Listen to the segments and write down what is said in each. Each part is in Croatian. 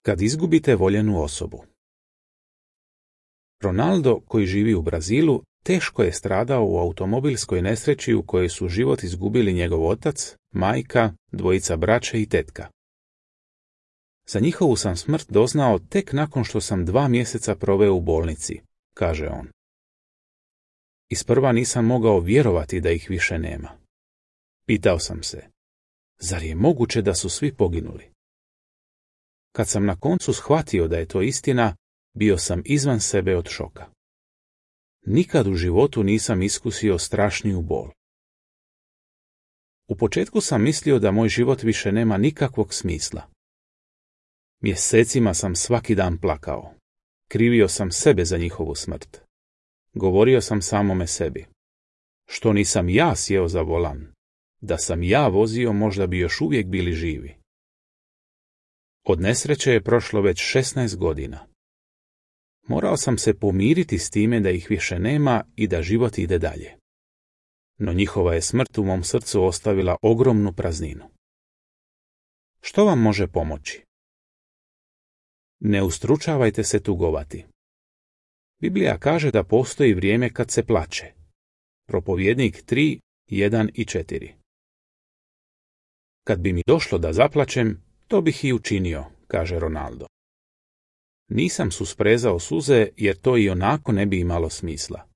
Kad izgubite voljenu osobu. Ronaldo, koji živi u Brazilu, teško je stradao u automobilskoj nesreći u kojoj su život izgubili njegov otac, majka, dvojica braće i tetka. Za njihovu sam smrt doznao tek nakon što sam 2 mjeseca proveo u bolnici, kaže on. Isprva nisam mogao vjerovati da ih više nema. Pitao sam se, zar je moguće da su svi poginuli? Kad sam na koncu shvatio da je to istina, bio sam izvan sebe od šoka. Nikad u životu nisam iskusio strašniju bol. U početku sam mislio da moj život više nema nikakvog smisla. Mjesecima sam svaki dan plakao. Krivio sam sebe za njihovu smrt. Govorio sam samome sebi. Što nisam ja sjeo za volan? Da sam ja vozio, možda bi još uvijek bili živi. Od nesreće je prošlo već 16 godina. Morao sam se pomiriti s time da ih više nema i da život ide dalje. No njihova je smrt u mom srcu ostavila ogromnu prazninu. Što vam može pomoći? Ne ustručavajte se tugovati. Biblija kaže da postoji vrijeme kad se plače. Propovjednik 3, 1 i 4. Kad bi mi došlo da zaplačem, to bih i učinio, kaže Ronaldo. Nisam susprezao suze jer to i onako ne bi imalo smisla.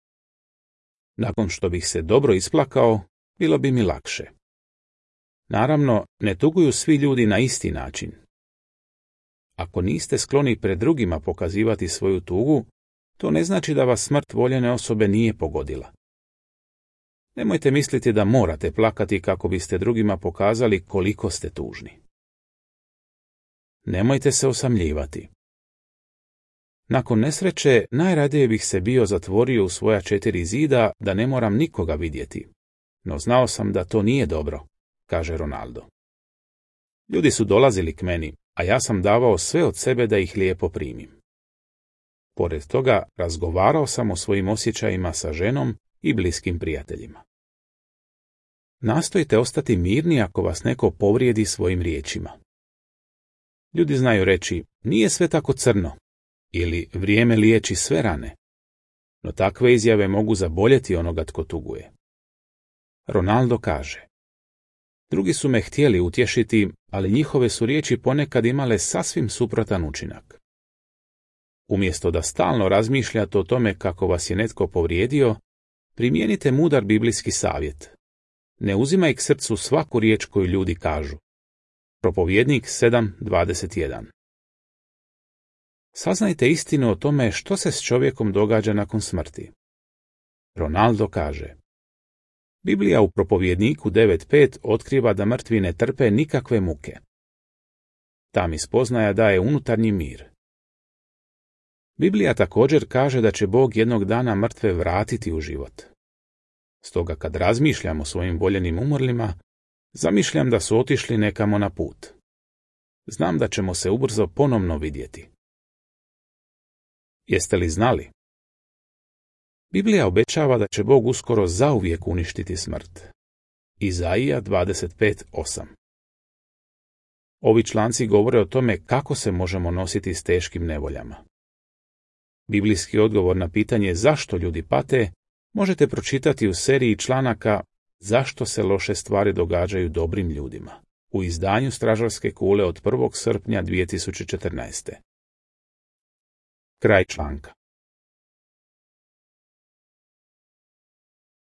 Nakon što bih se dobro isplakao, bilo bi mi lakše. Naravno, ne tuguju svi ljudi na isti način. Ako niste skloni pred drugima pokazivati svoju tugu, to ne znači da vas smrt voljene osobe nije pogodila. Nemojte misliti da morate plakati kako biste drugima pokazali koliko ste tužni. Nemojte se osamljivati. Nakon nesreće najradije bih se bio zatvorio u svoja 4 zida da ne moram nikoga vidjeti. No znao sam da to nije dobro, kaže Ronaldo. Ljudi su dolazili k meni, a ja sam davao sve od sebe da ih lijepo primim. Pored toga razgovarao sam o svojim osjećajima sa ženom i bliskim prijateljima. Nastojite ostati mirni ako vas neko povrijedi svojim riječima. Ljudi znaju reći, nije sve tako crno, ili vrijeme liječi sve rane, no takve izjave mogu zaboljeti onoga tko tuguje. Ronaldo kaže, drugi su me htjeli utješiti, ali njihove su riječi ponekad imale sasvim suprotan učinak. Umjesto da stalno razmišljate o tome kako vas je netko povrijedio, primijenite mudar biblijski savjet. Ne uzimaj k srcu svaku riječ koju ljudi kažu. Propovjednik 7:21. Saznajte istinu o tome što se s čovjekom događa nakon smrti. Ronaldo kaže, Biblija u Propovjedniku 9:5 otkriva da mrtvi ne trpe nikakve muke. Ta mi spoznaja daje unutarnji mir. Biblija također kaže da će Bog jednog dana mrtve vratiti u život. Stoga kad razmišljam o svojim voljenim umrlima, zamišljam da su otišli nekamo na put. Znam da ćemo se ubrzo ponovno vidjeti. Jeste li znali? Biblija obećava da će Bog uskoro zauvijek uništiti smrt. Izaija 25:8. Ovi članci govore o tome kako se možemo nositi s teškim nevoljama. Biblijski odgovor na pitanje zašto ljudi pate možete pročitati u seriji članaka Zašto se loše stvari događaju dobrim ljudima u izdanju Stražarske kule od 1. srpnja 2014. Kraj članka.